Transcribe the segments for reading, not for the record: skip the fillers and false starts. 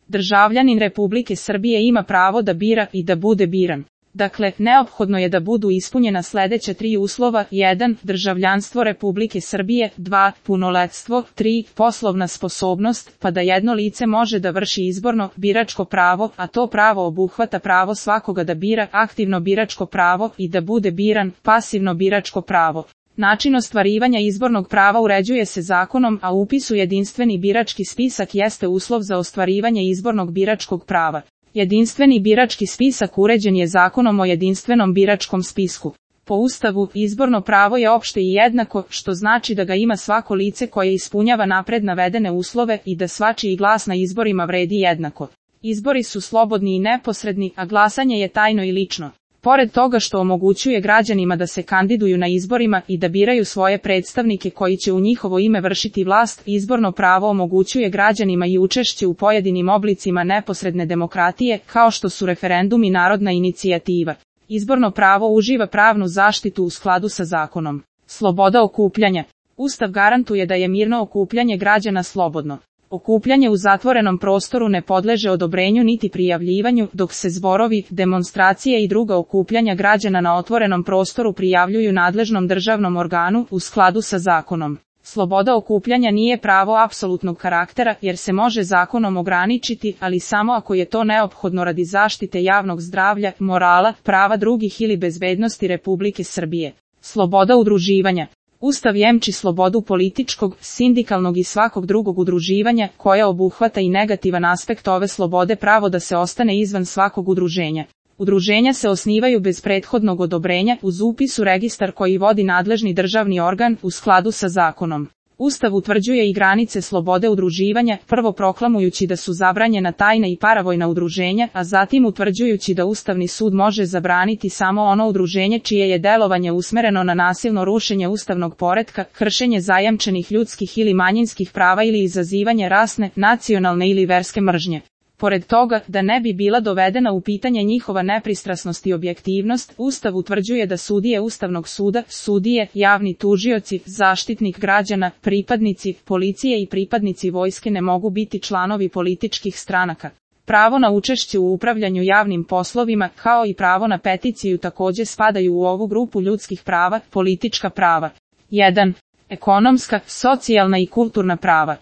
Državljanin Republike Srbije ima pravo da bira i da bude biran. Dakle, neophodno je da budu ispunjena sledeća 3 uslova: 1. Državljanstvo Republike Srbije, 2. Punoletstvo, 3. Poslovna sposobnost, pa da jedno lice može da vrši izborno, biračko pravo, a to pravo obuhvata pravo svakoga da bira, aktivno biračko pravo i da bude biran, pasivno biračko pravo. Način ostvarivanja izbornog prava uređuje se zakonom, a upis u jedinstveni birački spisak jeste uslov za ostvarivanje izbornog biračkog prava. Jedinstveni birački spisak uređen je Zakonom o jedinstvenom biračkom spisku. Po Ustavu, izborno pravo je opšte i jednako, što znači da ga ima svako lice koje ispunjava napred navedene uslove i da svačiji glas na izborima vredi jednako. Izbori su slobodni i neposredni, a glasanje je tajno i lično. Pored toga što omogućuje građanima da se kandiduju na izborima i da biraju svoje predstavnike koji će u njihovo ime vršiti vlast, izborno pravo omogućuje građanima i učešće u pojedinim oblicima neposredne demokratije, kao što su referendum i narodna inicijativa. Izborno pravo uživa pravnu zaštitu u skladu sa zakonom. Sloboda okupljanja. Ustav garantuje da je mirno okupljanje građana slobodno. Okupljanje u zatvorenom prostoru ne podleže odobrenju niti prijavljivanju, dok se zborovi, demonstracije i druga okupljanja građana na otvorenom prostoru prijavljuju nadležnom državnom organu u skladu sa zakonom. Sloboda okupljanja nije pravo apsolutnog karaktera jer se može zakonom ograničiti, ali samo ako je to neophodno radi zaštite javnog zdravlja, morala, prava drugih ili bezbednosti Republike Srbije. Sloboda udruživanja. Ustav jemči slobodu političkog, sindikalnog i svakog drugog udruživanja, koja obuhvata i negativan aspekt ove slobode, pravo da se ostane izvan svakog udruženja. Udruženja se osnivaju bez prethodnog odobrenja, uz upis u registar koji vodi nadležni državni organ u skladu sa zakonom. Ustav utvrđuje i granice slobode udruživanja, prvo proklamujući da su zabranjena tajna i paravojna udruženja, a zatim utvrđujući da Ustavni sud može zabraniti samo ono udruženje čije je delovanje usmereno na nasilno rušenje ustavnog poretka, kršenje zajamčenih ljudskih ili manjinskih prava ili izazivanje rasne, nacionalne ili verske mržnje. Pored toga, da ne bi bila dovedena u pitanje njihova nepristrasnost i objektivnost, Ustav utvrđuje da sudije Ustavnog suda, sudije, javni tužioci, zaštitnik građana, pripadnici policije i pripadnici vojske ne mogu biti članovi političkih stranaka. Pravo na učešće u upravljanju javnim poslovima, kao i pravo na peticiju takođe spadaju u ovu grupu ljudskih prava, politička prava. 1. Ekonomska, socijalna i kulturna prava.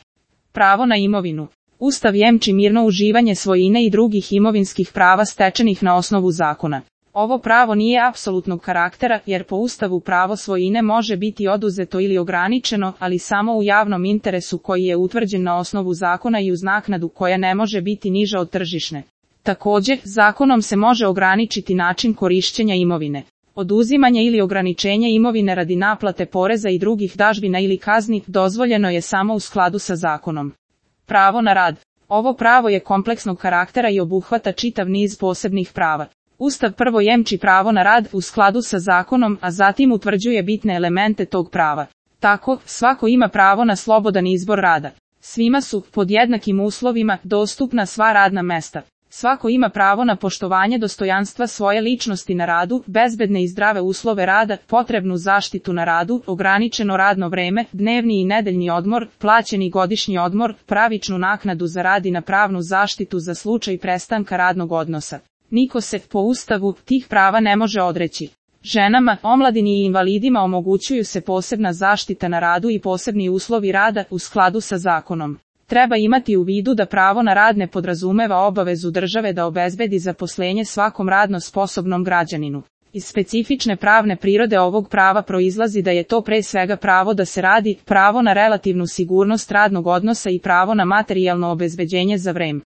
Pravo na imovinu. Ustav jemči mirno uživanje svojine i drugih imovinskih prava stečenih na osnovu zakona. Ovo pravo nije apsolutnog karaktera, jer po Ustavu pravo svojine može biti oduzeto ili ograničeno, ali samo u javnom interesu koji je utvrđen na osnovu zakona i uz naknadu koja ne može biti niža od tržišne. Takođe, zakonom se može ograničiti način korišćenja imovine. Oduzimanje ili ograničenje imovine radi naplate poreza i drugih dažbina ili kazni dozvoljeno je samo u skladu sa zakonom. Pravo na rad. Ovo pravo je kompleksnog karaktera i obuhvata čitav niz posebnih prava. Ustav prvo jemči pravo na rad u skladu sa zakonom, a zatim utvrđuje bitne elemente tog prava. Tako, svako ima pravo na slobodan izbor rada. Svima su, pod jednakim uslovima, dostupna sva radna mesta. Svako ima pravo na poštovanje dostojanstva svoje ličnosti na radu, bezbedne i zdrave uslove rada, potrebnu zaštitu na radu, ograničeno radno vreme, dnevni i nedeljni odmor, plaćeni godišnji odmor, pravičnu naknadu za rad i na pravnu zaštitu za slučaj prestanka radnog odnosa. Niko se, po Ustavu, tih prava ne može odreći. Ženama, omladini i invalidima omogućuju se posebna zaštita na radu i posebni uslovi rada u skladu sa zakonom. Treba imati u vidu da pravo na rad ne podrazumeva obavezu države da obezbedi zaposlenje svakom radno sposobnom građaninu. Iz specifične pravne prirode ovog prava proizlazi da je to pre svega pravo da se radi, pravo na relativnu sigurnost radnog odnosa i pravo na materijalno obezbeđenje za vreme